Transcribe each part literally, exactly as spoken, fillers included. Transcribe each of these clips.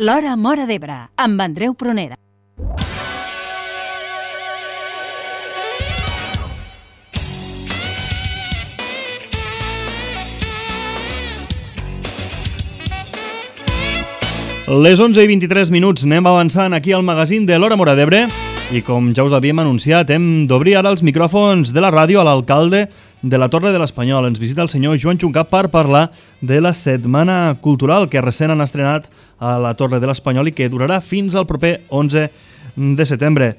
L'Hora Móra d'Ebre, amb Andreu Prunera. Les onze i vint-i-tres minuts anem avançant aquí al magazín de l'Hora Móra d'Ebre i com ja us havíem anunciat hem d'obrir ara els micròfons de la ràdio a l'alcalde de la Torre de l'Espanyol. Ens visita el senyor Joan Juncà per parlar de la Setmana Cultural que recent han estrenat a la Torre de l'Espanyol i que durarà fins al proper onze de setembre.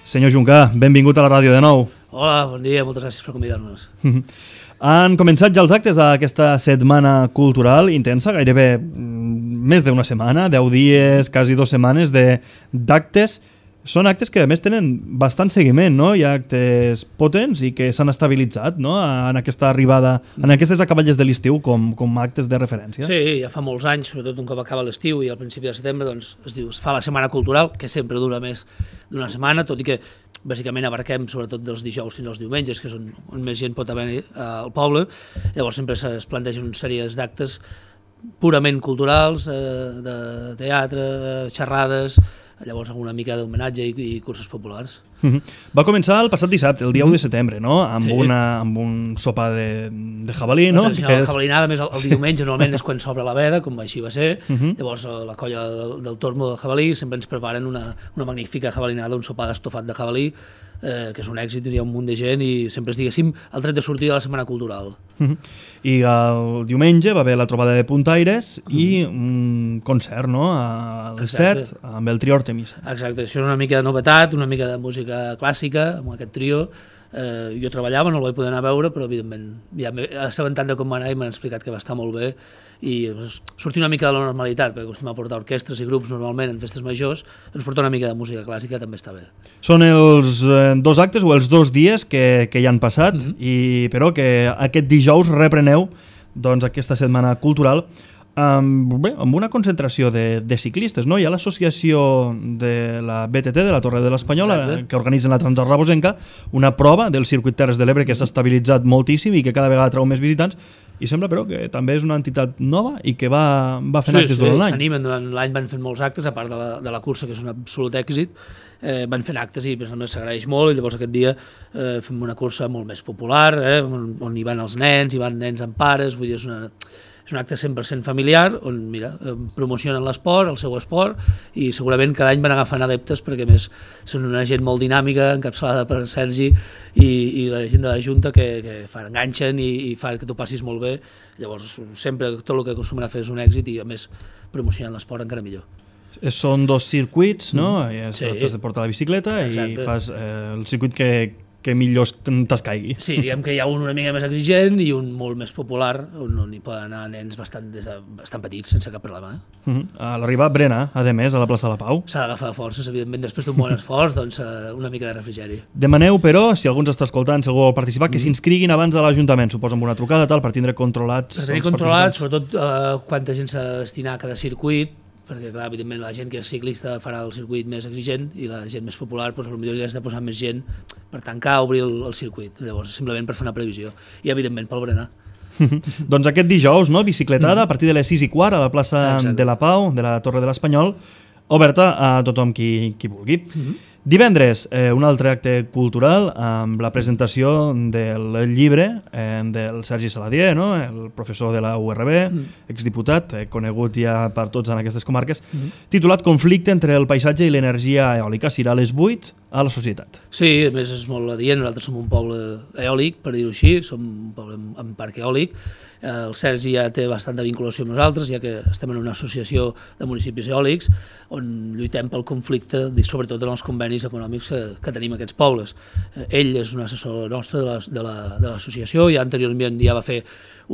Senyor Juncà, benvingut a la ràdio de nou. Hola, bon dia, moltes gràcies per convidar-nos. Han començat ja els actes d'aquesta setmana cultural intensa, gairebé més d'una setmana, deu dies, quasi dues setmanes d'actes. Són actes que a més tenen bastant seguiment, no? Hi ha actes potents i que s'han estabilitzat, no? En aquesta arribada, en aquestes acaballes de l'estiu com, com actes de referència. Sí, ja fa molts anys, sobretot un cop acaba l'estiu i al principi de setembre, doncs es diu, es fa la setmana cultural, que sempre dura més d'una setmana, tot i que bàsicament abarquem sobretot dels dijous fins als diumenges, que és on, on més gent pot haver al poble. Llavors sempre es plantegen una sèrie d'actes purament culturals, eh, de teatre, xerrades, llavors alguna mica d'homenatge i, i cursos populars. Uh-huh. Va començar el passat dissabte, el dia u de setembre, no? Amb, sí. una, amb un sopar de, de jabalí, no? La tradicional és... jabalinada, més el, el diumenge normalment és quan s'obre la veda, com així va ser. Uh-huh. Llavors la colla del, del Tormo de jabalí sempre ens preparen una, una magnífica jabalinada, un sopar d'estofat de jabalí, eh, que és un èxit, hi ha un munt de gent i sempre és, diguéssim, el tret de sortida de la setmana cultural. Uh-huh. I el diumenge va haver la trobada de puntaires uh-huh. i un concert, no? Al set, amb el trio Artemisa. Exacte, això és una mica de novetat, una mica de música clàssica, amb aquest trio. Eh, jo treballava, no el vaig poder anar a veure, però evidentment ja m'he assabentat de com va anar i m'han explicat que va estar molt bé i doncs, sortir una mica de la normalitat, perquè acostumem a portar orquestres i grups normalment en festes majors, doncs portar una mica de música clàssica també està bé. Són els eh, dos actes o els dos dies que, que ja han passat, mm-hmm. i, però que aquest dijous repreneu doncs, aquesta setmana cultural amb, bé, amb una concentració de, de ciclistes, no? Hi ha l'associació de la B T T, de la Torre de l'Espanyol, que organitzen la Transarrabosenca, una prova del circuit Terres de l'Ebre que s'ha estabilitzat moltíssim i que cada vegada treu més visitants, i sembla però que també és una entitat nova i que va, va fent sí, actes sí, durant l'any. S'animen, durant l'any van fent molts actes, a part de la, de la cursa, que és un absolut èxit, eh, van fent actes i s'agraeix molt, i llavors aquest dia eh, fem una cursa molt més popular, eh, on, on hi van els nens, hi van nens amb pares, vull dir, és una... És un acte cent per cent familiar on mira, promocionen l'esport, el seu esport, i segurament cada any van agafant adeptes perquè més són una gent molt dinàmica, encapçalada per Sergi i, i la gent de la Junta que, que fan, enganxen i, i fan que t'ho passis molt bé. Llavors sempre tot el que acostumen a fer és un èxit i a més promocionen l'esport encara millor. Són dos circuits, no? Mm. Sí. T'has de portar la bicicleta. Exacte. I fas eh, el circuit que que millor t'escaigui. Sí, diguem que hi ha un una mica més exigent i un molt més popular, on, on hi poden anar nens bastant, des de, bastant petits, sense cap problema. Eh? Uh-huh. A l'arribar Brena, a més, a la plaça de la Pau. S'ha d'agafar forces, evidentment, després d'un bon esforç, doncs una mica de refrigeri. Demaneu, però, si algú ens està escoltant, si algú vol participar, que s'inscriguin abans de l'Ajuntament, suposo amb una trucada, tal, per tindre controlats... Per tenir controlats, sobretot eh, quanta gent s'ha de destinar a cada circuit, perquè clar, evidentment la gent que és ciclista farà el circuit més exigent i la gent més popular doncs, potser li has de posar més gent per tancar o obrir el, el circuit, llavors simplement per fer una previsió i evidentment pel berenar. Doncs aquest dijous, no? Bicicletada a partir de les sis i quart a la plaça Exacte. de la Pau, de la Torre de l'Espanyol, oberta a tothom qui, qui vulgui. Uh-huh. Divendres, eh, un altre acte cultural amb la presentació del llibre eh, del Sergi Saladier, no? El professor de la U R B, mm. exdiputat, eh, conegut ja per tots en aquestes comarques, mm. titulat Conflicte entre el paisatge i l'energia eòlica. Serà a les vuit a la Societat. Sí, a més és molt adient, nosaltres som un poble eòlic, per dir-ho així, som un poble amb, amb parc eòlic. El Sergi ja té bastanta vinculació amb nosaltres, ja que estem en una associació de municipis eòlics on lluitem pel conflicte, sobretot en els convenis econòmics que, que tenim aquests pobles. Ell és un assessor nostre de l'associació, ja anteriorment ja va fer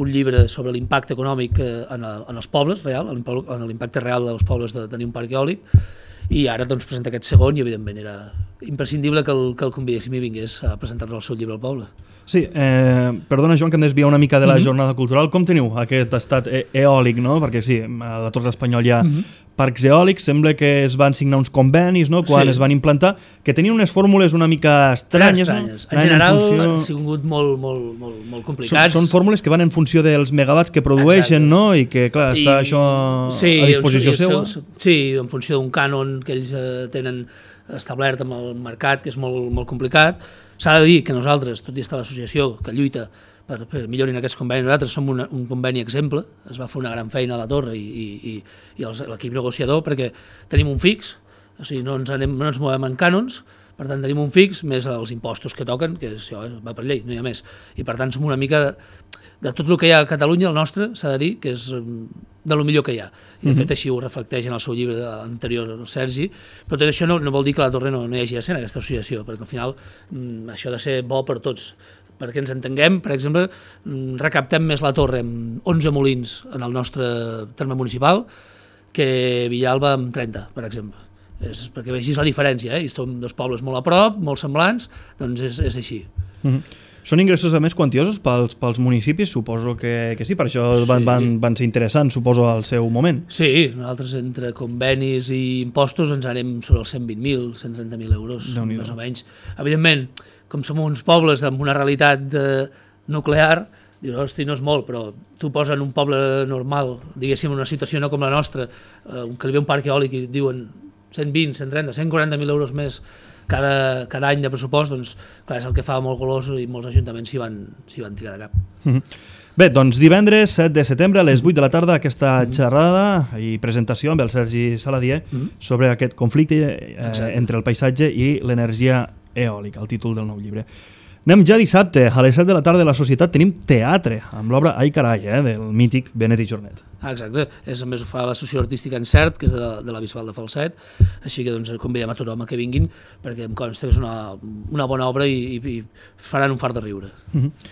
un llibre sobre l'impacte econòmic en, el, en els pobles, real, en l'impacte real dels pobles de tenir un parc eòlic, i ara doncs, presenta aquest segon i evidentment era imprescindible que el, que el convidéssim i vingués a presentar-nos el seu llibre al poble. Sí, eh, perdona Joan que em desvia una mica de la mm-hmm. jornada cultural. Com teniu aquest estat e eòlic, no? Perquè sí, a la Torre d'Espanyol hi ha mm-hmm. parcs eòlics, sembla que es van signar uns convenis, no?, quan sí. es van implantar, que tenien unes fórmules una mica estranyes. estranyes. No? En general en funció... han sigut molt, molt, molt, molt complicats. Són, són fórmules que van en funció dels megawatts que produeixen, exacte. No?, i que, clar, està I... això sí, a disposició seva. Sí, en funció d'un cànon que ells eh, tenen establert amb el mercat, que és molt, molt complicat. S'ha de dir que nosaltres, tot i estar l'associació que lluita per, per millorin aquests convenis, nosaltres som una, un conveni exemple, es va fer una gran feina a la Torre i, i, i l'equip negociador perquè tenim un fix, o sigui, no ens, anem, no ens movem en cànons, per tant tenim un fix més els impostos que toquen, que això va per llei, no hi ha més, i per tant som una mica de, de tot el que hi ha a Catalunya, el nostre, s'ha de dir, que és de lo millor que hi ha. I de fet així ho reflecteix en el seu llibre anterior, el Sergi, però tot això no, no vol dir que a la Torre no, no hi hagi de ser en aquesta associació, perquè al final mm, això ha de ser bo per tots, perquè ens entenguem, per exemple, recaptem més la Torre amb onze molins en el nostre terme municipal que Villalba amb trenta, per exemple. És perquè vegis la diferència, eh? I som dos pobles molt a prop, molt semblants, doncs és, és així. Mm-hmm. Són ingressos a més quantiosos pels, pels municipis? Suposo que, que sí, per això sí. van, van, van ser interessants, suposo, al seu moment. Sí, nosaltres entre convenis i impostos ens anem sobre els cent vint mil, cent trenta mil euros, més o menys. Evidentment, com som uns pobles amb una realitat eh, nuclear, dius, hosti, no és molt, però tu poses en un poble normal, diguéssim, en una situació no com la nostra, eh, que li ve un parc eòlic i et diuen cent vint, cent trenta, cent quaranta mil euros més cada, cada any de pressupost, doncs clar, és el que fa molt golós i molts ajuntaments s'hi van, s'hi van tirar de cap. Mm-hmm. Bé, doncs divendres set de setembre a les vuit de la tarda aquesta mm-hmm. xerrada i presentació amb el Sergi Saladier mm-hmm. sobre aquest conflicte eh, entre el paisatge i l'energia eòlica, el títol del nou llibre. Anem ja dissabte, a les set de la tarda de la Societat tenim teatre, amb l'obra Ai carai, eh, del mític Benet i Jornet. Ah, exacte, és, a més ho fa l'associació artística Encert, que és de, de la Bisbal de Falset, així que doncs, convidem a tothom a que vinguin, perquè em consta que és una, una bona obra i, i, i faran un fart de riure. Mm-hmm.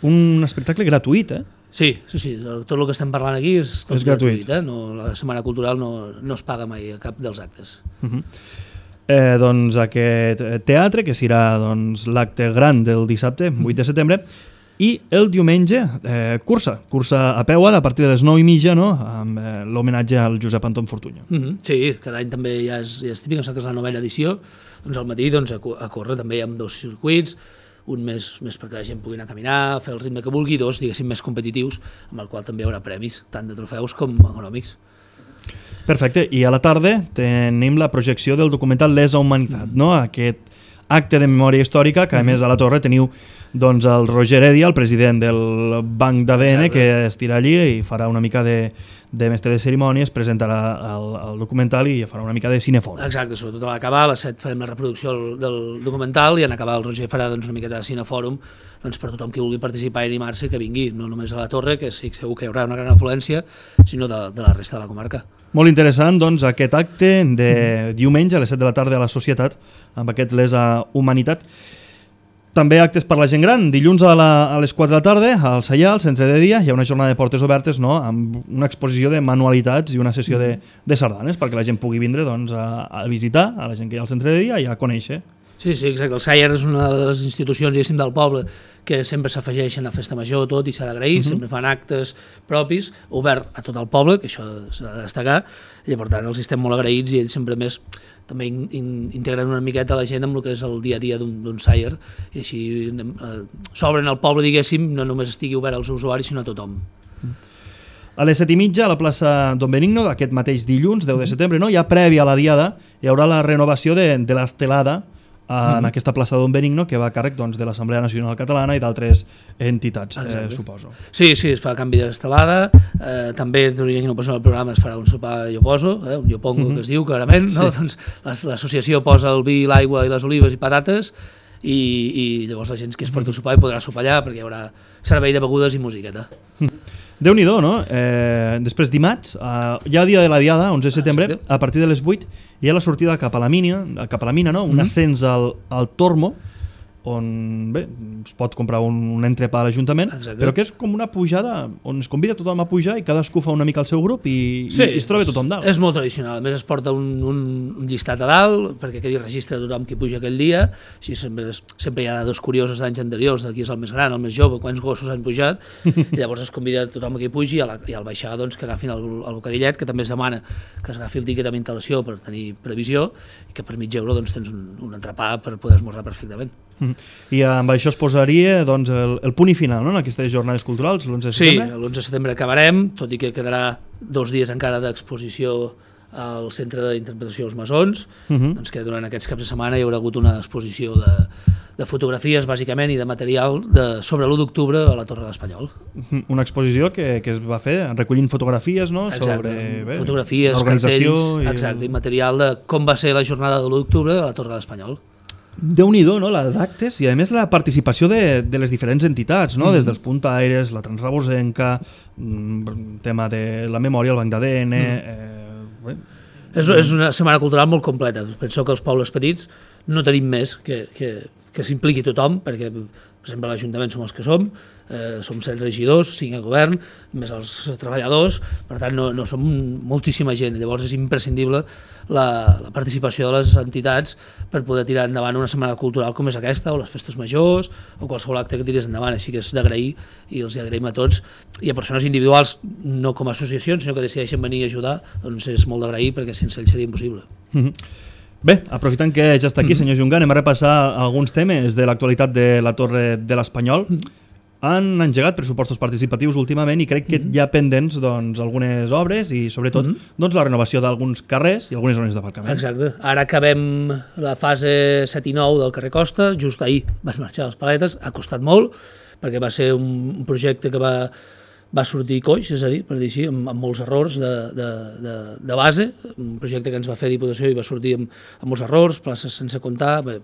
Un espectacle gratuït, eh? Sí, sí, sí, tot el que estem parlant aquí és tot és gratuït. gratuït, eh? No, la Setmana Cultural no, no es paga mai a cap dels actes. Mm-hmm. Eh, doncs aquest teatre, que serà doncs, l'acte gran del dissabte, vuit de setembre, i el diumenge, eh, cursa, cursa a peu a partir de les nou i mitja, no?, amb eh, l'homenatge al Josep Anton Fortuño. Mm-hmm. Sí, cada any també ja és, ja és típic, que és la novena edició, doncs al matí doncs, a, a córrer també hi ha dos circuits, un més, més perquè la gent pugui anar a caminar, fer el ritme que vulgui, dos, diguéssim, més competitius, amb el qual també hi haurà premis, tant de trofeus com econòmics. Perfecte, i a la tarda tenim la projecció del documental Lesa Humanitat, no? Aquest acte de memòria històrica que a més a la Torre teniu doncs, el Roger Heredia, el president del Banc d'A D N, que estirà allí i farà una mica de, de mestre de cerimònies, presentarà el, el documental i farà una mica de cinefòrum. Exacte, sobretot a l'acabar, a les set farem la reproducció del, del documental i en acabar el Roger farà doncs, una miqueta de cinefòrum doncs, per tothom que vulgui participar i animar-se que vingui, no només a la Torre, que sí, segur que hi haurà una gran afluència, sinó de, de la resta de la comarca. Molt interessant, doncs, aquest acte de diumenge a les set de la tarda a la Societat, amb aquest Lesa Humanitat. També actes per la gent gran. Dilluns a, la, a les quatre de la tarda, al Saià, al centre de dia, hi ha una jornada de portes obertes, no?, amb una exposició de manualitats i una sessió de, de sardanes, perquè la gent pugui vindre doncs, a, a visitar, a la gent que hi ha al centre de dia i a conèixer. Sí, sí, exacte. El Saià és una de les institucions, diguéssim, del poble que sempre s'afegeixen a Festa Major tot i s'ha d'agrair, uh-huh. sempre fan actes propis, obert a tot el poble, que això s'ha de destacar, i per tant els estem molt agraïts i ells sempre més també in, in, integren una miqueta la gent amb el que és el dia a dia d'un Saià i així eh, s'obren al poble, diguéssim, no només estigui obert als usuaris sinó a tothom. A les set i mitja a la plaça Don Benigno, d'aquest mateix dilluns, deu de setembre, no? Ja prèvia a la diada, hi haurà la renovació de, de l'estelada en mm-hmm. aquesta plaça Don Benigno, que va a càrrec doncs, de l'Assemblea Nacional Catalana i d'altres entitats, eh, suposo. Sí, sí, es fa canvi d'estelada, eh, també, qui no posa el programa, es farà un sopar jo poso, eh, un jo pongo, mm-hmm. que es diu clarament, no? Sí. Doncs l'associació posa el vi, l'aigua i les olives i patates, i, i llavors la gent que es porta el sopar i podrà sopar allà, perquè hi haurà servei de begudes i musiqueta. Déu-n'hi-do, no? Eh, després dimarts, eh, ja dia de la diada, onze de setembre, a partir de les vuit, hi ha la sortida cap a la mina, cap a la mina, no? Un mm-hmm. ascens al, al Tormo, on bé, es pot comprar un, un entrepà a l'Ajuntament, però que és com una pujada on es convida tothom a pujar i cadascú fa una mica el seu grup i, sí, i es troba tothom dalt. És molt tradicional, a més es porta un, un, un llistat a dalt perquè quedi registre de tothom qui puja aquell dia, així sempre, sempre hi ha dos curiosos d'anys anteriors, de qui és el més gran, el més jove, quants gossos han pujat, i llavors es convida tothom a qui pugi i, a la, i al baixar doncs, que agafin el, el bocadillet, que també es demana que s'agafi el tiquet amb instal·lació per tenir previsió i que per mig euro doncs, tens un, un entrepà per poder esmorzar perfectament. Mm. I amb això es posaria doncs, el, el punt i final, no?, en aquestes jornades culturals, l'onze de setembre? Sí, l'onze de setembre acabarem, tot i que quedarà dos dies encara d'exposició al Centre d'Interpretació dels Masons, uh -huh. doncs que durant aquests caps de setmana hi haurà hagut una exposició de, de fotografies, bàsicament, i de material de, sobre l'u d'octubre a la Torre de l'Espanyol. Una exposició que, que es va fer recollint fotografies, no?, exacte, sobre bé, fotografies, cartells, i... exacte, i material de com va ser la jornada de l'u d'octubre a la Torre de l'Espanyol. Déu-n'hi-do, no?, la d'actes i a més la participació de, de les diferents entitats, no?, mm. des dels Puntaires, la Transrabosenca, tema de la memòria, el banc d'A D N... Mm. Eh, és, és una setmana cultural molt completa. Penso que els pobles petits no tenim més que, que, que s'impliqui tothom, perquè per exemple l'Ajuntament som els que som, eh, som set regidors, cinc a govern, més els treballadors, per tant no, no som moltíssima gent, llavors és imprescindible la, la participació de les entitats per poder tirar endavant una setmana cultural com és aquesta, o les festes majors, o qualsevol acte que tiris endavant, així que és d'agrair i els agraïm a tots, i a persones individuals, no com a associacions, sinó que decideixen venir a ajudar, doncs és molt d'agrair perquè sense ells seria impossible. Mm-hmm. Bé, aprofitant que ja està aquí, senyor Jungan, anem a repassar alguns temes de l'actualitat de la Torre de l'Espanyol. Han engegat pressupostos participatius últimament i crec que hi ha pendents doncs, algunes obres i sobretot doncs, la renovació d'alguns carrers i algunes zones d'aparcament. Exacte. Ara acabem la fase set i nou del carrer Costa, just ahir van marxar les paletes, ha costat molt perquè va ser un projecte que va va sortir coix, és a dir, per dir així, amb, amb molts errors de, de, de, de base, un projecte que ens va fer Diputació i va sortir amb, amb molts errors, places sense comptar, bé,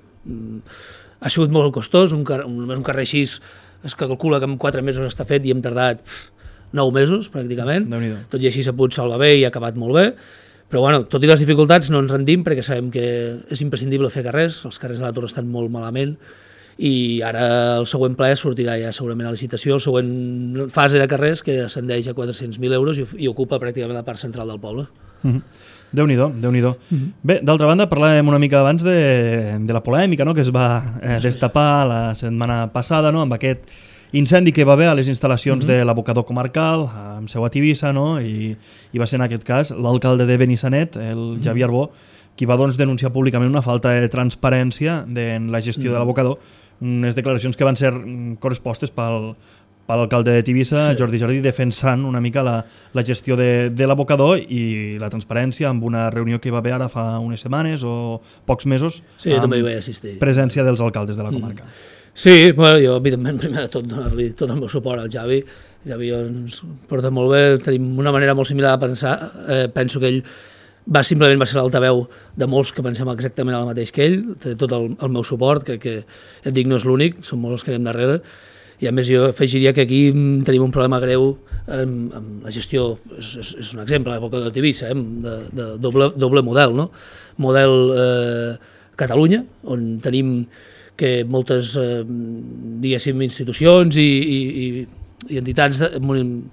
ha sigut molt costós, un, car un, un carrer així es calcula que en quatre mesos està fet i hem tardat pff, nou mesos pràcticament, tot i així s'ha pogut salvar bé i ha acabat molt bé, però bueno, tot i les dificultats no ens rendim perquè sabem que és imprescindible fer carrers, els carrers de la Torre estan molt malament, i ara el següent ple sortirà ja segurament a licitació, el següent fase de carrers que ascendeix a quatre-cents mil euros i, i ocupa pràcticament la part central del poble. Mm-hmm. Déu-n'hi-do, Déu-n'hi-do. Mm-hmm. Bé, d'altra banda, parlàvem una mica abans de, de la polèmica, no?, que es va eh, destapar la setmana passada, no?, amb aquest incendi que va haver a les instal·lacions mm-hmm. de l'abocador comarcal, amb seu a Tivissa, no?, i, i va ser en aquest cas l'alcalde de Benissanet, el Javier Arbó, qui va doncs, denunciar públicament una falta de transparència en la gestió mm-hmm. de l'abocador, unes declaracions que van ser correspostes pel, per l'alcalde de Tivissa, sí. Jordi Jardí, defensant una mica la, la gestió de, de l'abocador i la transparència amb una reunió que hi va haver ara fa unes setmanes o pocs mesos, sí, jo també hi vaig assistir. Presència dels alcaldes de la comarca. Mm. Sí, bueno, jo evidentment primer de tot donar-li tot el meu suport al Javi. Javi ens porta molt bé, tenim una manera molt similar de pensar, eh, penso que ell va simplement va ser l'altaveu de molts que pensem exactament el mateix que ell, té tot el, el meu suport, crec que et dic no és l'únic, som molts els que anem darrere, i a més jo afegiria que aquí tenim un problema greu amb, amb la gestió, és, és, és un exemple, a l'època de Tivissa, eh, de, de doble, doble model, no? Model eh, Catalunya, on tenim que moltes, eh, diguéssim, institucions i, i, i i entitats de,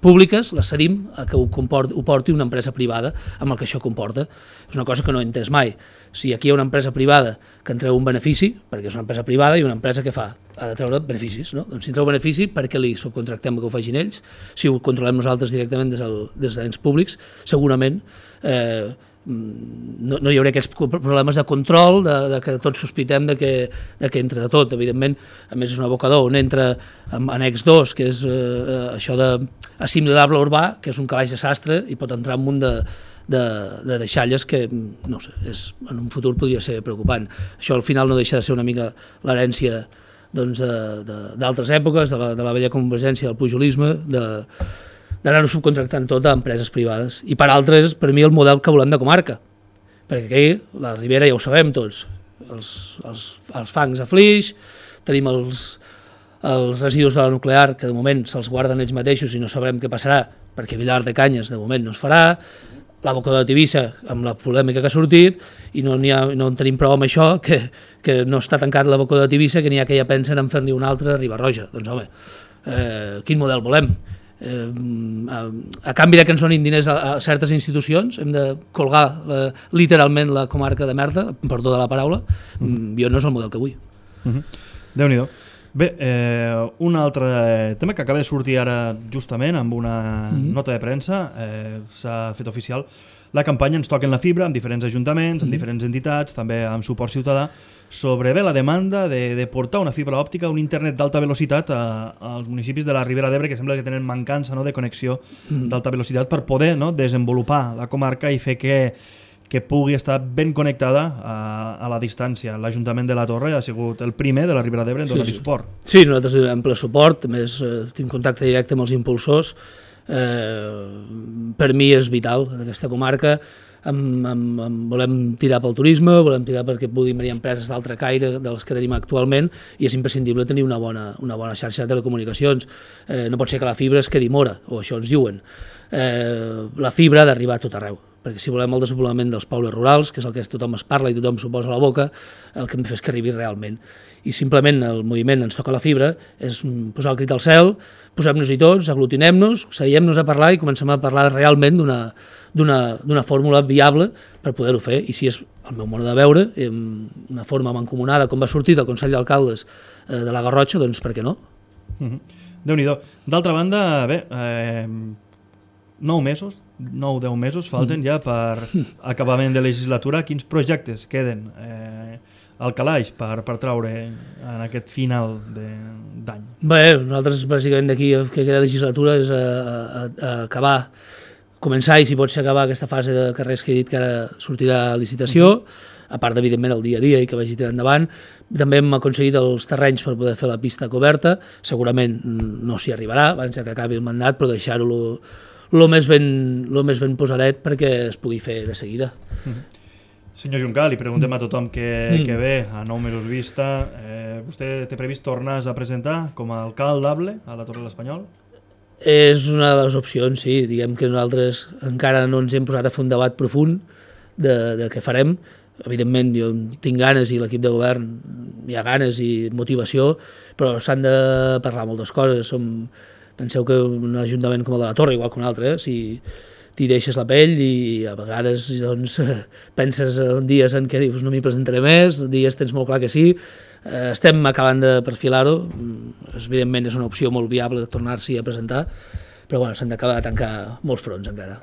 públiques les cedim a que ho, comporti, ho porti una empresa privada amb el que això comporta. És una cosa que no he entès mai. Si aquí hi ha una empresa privada que en treu un benefici, perquè és una empresa privada i una empresa que fa, ha de treure beneficis, no? Doncs si en treu benefici, per què li subcontractem que ho facin ells? Si ho controlem nosaltres directament des, del, des dels ens públics, segurament eh, no, no hi haurà aquests problemes de control, de, de que tots sospitem de que, de que entra de tot. Evidentment, a més és un abocador on entra en annex dos, que és eh, això d'assimilable urbà, que és un calaix de sastre i pot entrar en un munt de, de, de deixalles que, no sé, és, en un futur podria ser preocupant. Això al final no deixa de ser una mica l'herència doncs, d'altres èpoques, de la, de la vella convergència, del pujolisme, de d'anar-ho subcontractant tot a empreses privades. I per altres, per mi, el model que volem de comarca. Perquè aquí, la Ribera ja ho sabem tots, els, els, els fangs a Flix, tenim els, els residus de la nuclear, que de moment se'ls guarden ells mateixos i no sabrem què passarà, perquè Vilar de Canyes de moment no es farà, l'abocador de Tivissa, amb la polèmica que ha sortit, i no, ha, no en tenim prou amb això, que, que no està tancat l'abocador de Tivissa, que n'hi ha que ja pensen en fer-ne un altre a Riba-roja. Doncs home, eh, quin model volem? Eh, a, a canvi de que ens donin diners a, a certes institucions, hem de colgar la, literalment la comarca de merda, perdó de la paraula, mm. jo no és el model que vull. Mm-hmm. Déu-n'hi-do. Bé, eh, un altre tema que acaba de sortir ara justament amb una mm-hmm. nota de premsa, eh, s'ha fet oficial la campanya Ens toquen la fibra amb diferents ajuntaments, amb mm-hmm. diferents entitats, també amb suport ciutadà, sobre bé la demanda de, de portar una fibra òptica, un internet d'alta velocitat a, als municipis de la Ribera d'Ebre, que sembla que tenen mancança, no?, de connexió mm-hmm. d'alta velocitat per poder, no?, desenvolupar la comarca i fer que que pugui estar ben connectada a, a la distància. L'Ajuntament de la Torre ha sigut el primer de la Ribera d'Ebre en donar-hi sí, sí. suport. Sí, nosaltres donem ple suport, a més eh, tinc contacte directe amb els impulsors. Eh, per mi és vital en aquesta comarca. Amb, amb, amb, volem tirar pel turisme, volem tirar perquè puguin venir empreses d'altre caire dels que tenim actualment, i és imprescindible tenir una bona, una bona xarxa de telecomunicacions. Eh, no pot ser que la fibra es quedi mora, o això ens diuen. Eh, la fibra ha d'arribar a tot arreu, perquè si volem el desenvolupament dels pobles rurals, que és el que tothom es parla i tothom s'ho posa a la boca, el que hem de fer és que arribi realment. I simplement el moviment Ens toca la fibra és posar el crit al cel, posem-nos-hi tots, aglutinem-nos, seiem-nos a parlar i comencem a parlar realment d'una d'una fórmula viable per poder-ho fer. I si és el meu modo de veure, una forma mancomunada com va sortir del Consell d'Alcaldes de la Garrotxa, doncs per què no? Mm-hmm. Déu-n'hi-do. D'altra banda, bé, eh, nou mesos, nou, deu mesos falten ja per acabament de legislatura. Quins projectes queden eh, al calaix per, per traure en aquest final d'any? Bé, nosaltres bàsicament d'aquí que queda legislatura és a, a, a acabar, començar i si pot ser acabar aquesta fase de carrers que he dit que ara sortirà a licitació, a part evidentment el dia a dia i que vagi tirant endavant. També hem aconseguit els terrenys per poder fer la pista coberta, segurament no s'hi arribarà abans que acabi el mandat, però deixar-ho el més, més ben posadet perquè es pugui fer de seguida. Mm-hmm. Senyor Juncal, li preguntem a tothom que, mm. que ve a nou mesos vista. Eh, vostè té previst tornar a presentar com a alcaldable a la Torre de l'Espanyol? És una de les opcions, sí. Diguem que nosaltres encara no ens hem posat a fer un debat profund de, de què farem. Evidentment, jo tinc ganes i l'equip de govern hi ha ganes i motivació, però s'han de parlar moltes coses. Som, penseu que un ajuntament com el de la Torre, igual que un altre, eh? Si t'hi deixes la pell i a vegades doncs, penses en dies en què dius no m'hi presentaré més, dies tens molt clar que sí. Estem acabant de perfilar-ho, evidentment és una opció molt viable tornar-s'hi a presentar, però bueno, s'han d'acabar de tancar molts fronts encara.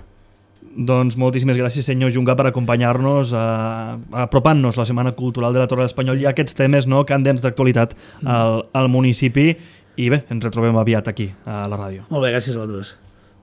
Doncs moltíssimes gràcies, senyor Junca, per acompanyar-nos, apropant-nos la Setmana Cultural de la Torre de l'Espanyol i aquests temes, no, candents d'actualitat al, al municipi. I bé, ens retrobem aviat aquí, a la ràdio. Molt bé, gràcies a vosaltres.